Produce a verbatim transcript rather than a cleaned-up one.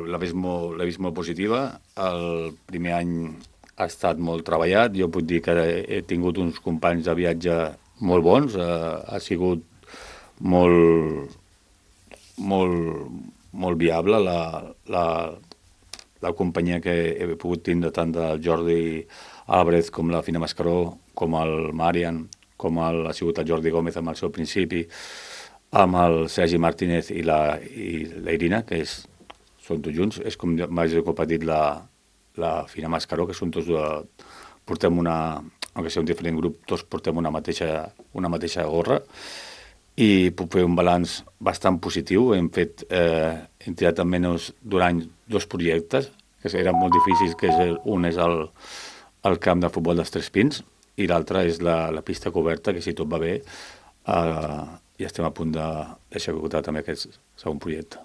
l'he vist, molt, vist molt positiva. El primer any ha estat molt treballat. Jo puc dir que he tingut uns companys de viatge molt bons. Eh, ha sigut molt, molt, molt viable la, la, la companyia que he pogut tindre tant del Jordi Álvarez com la Fina Mascaró, com el Marian, com el, ha sigut el Jordi Gómez amb el seu principi, amb el Sergi Martínez i la, i la Irina, que és, són tots junts. És com m'ha dit la, la Fina Mascaró, que són tots de, portem una, aunque sigui un diferent grup, tots portem una mateixa, una mateixa gorra, i puc fer un balanç bastant positiu. Hem fet, eh, hem tirat almenys durant dos projectes, que eren molt difícils, que és el, un és el, el camp de futbol dels Tres Pins, i l'altre és la, la pista coberta, que si tot va bé, eh, i estem a punt de deixar executar també aquest segon projecte.